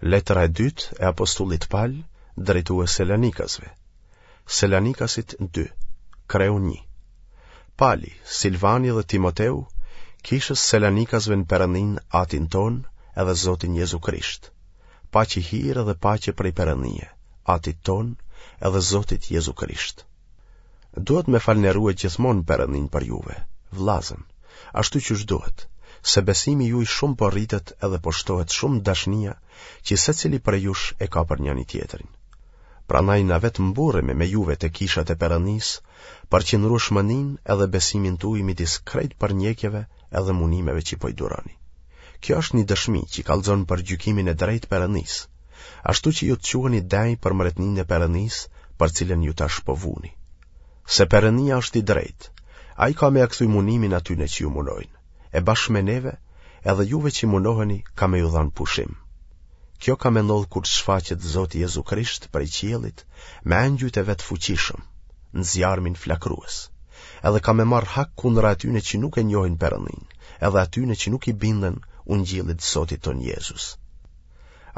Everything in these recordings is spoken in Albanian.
Letra e dytë e apostullit Pal drejtue Selanikasve. Selanikasit 2, kreu 1. Pali, Silvani dhe Timoteu, kishës Selanikasve në Perëndinë Atin tonë edhe Zotin Jezu Krisht. Paçi hir edhe paqe prej Perëndie, Atit tonë edhe Zotit Jezu Krisht. Duhet me falënderue gjithmonë Perëndinë për juve, vllazën, ashtu qysh duhet, se besimi juj shumë po rritet edhe po shtohet shumë dashnia që secili prej jush e ka për njani-tjetrin. Prandaj na vetë mburremi me juve te kishat e Perëndisë për qëndrueshmëninë edhe besimin tuj midis krejt përndjekjeve edhe munimeve që po i duroni. Kjo është një dëshmi që kallxon për gjykimin e drejtë Perëndisë, ashtu që ju të quheni denjë për mretninë e Perëndisë, për cilën ju tash po vuni. Se Perëndia është i drejtë, ai ka me ja kthy munimin atyne që ju munojnë, e bashkë me neve, edhe juve që munoheni ka me ju dhanë pushim. Kjo ka me ndodhë kur të shfaqet Zoti Jezu Krisht prej qiellit me engjujt e vet fuqishëm, në zjarmin flakrues, edhe ka me marrë hak kundra atyne që nuk e njohin Perëndinë, edhe atyne që nuk i binden ungjillit të Zotit tonë Jezus.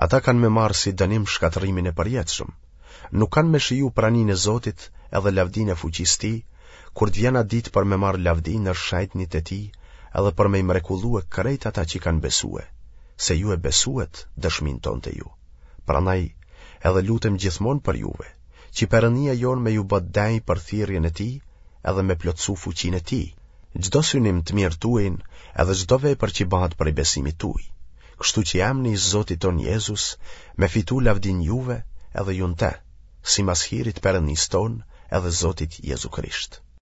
Ata kanë me marrë si dënim shkatërrimin e përjetshëm. Nuk kanë me shiju praninë e Zotit edhe lavdinë e fuqisë tij, kur të vjen atë ditë për me marrë lavdi ndër shenjtnit e tij edhe për me i mrekullue krejt ata që kanë besue, se ju e besuet dëshminë tonë te ju. Prandaj, edhe lutem gjithmonë për juve, që Perëndia jonë me ju bë denjë për thirrjen e tij edhe me plotësu fuqinë e tij, çdo synim të mirë tuajin edhe çdo vepër që bëhet prej besimit tuaj, kështu që emni i Zotit tonë Jezus me fitu lavdinë juve edhe ju në te, simas hirit Perëndisë tonë edhe Zotit Jezu Krisht.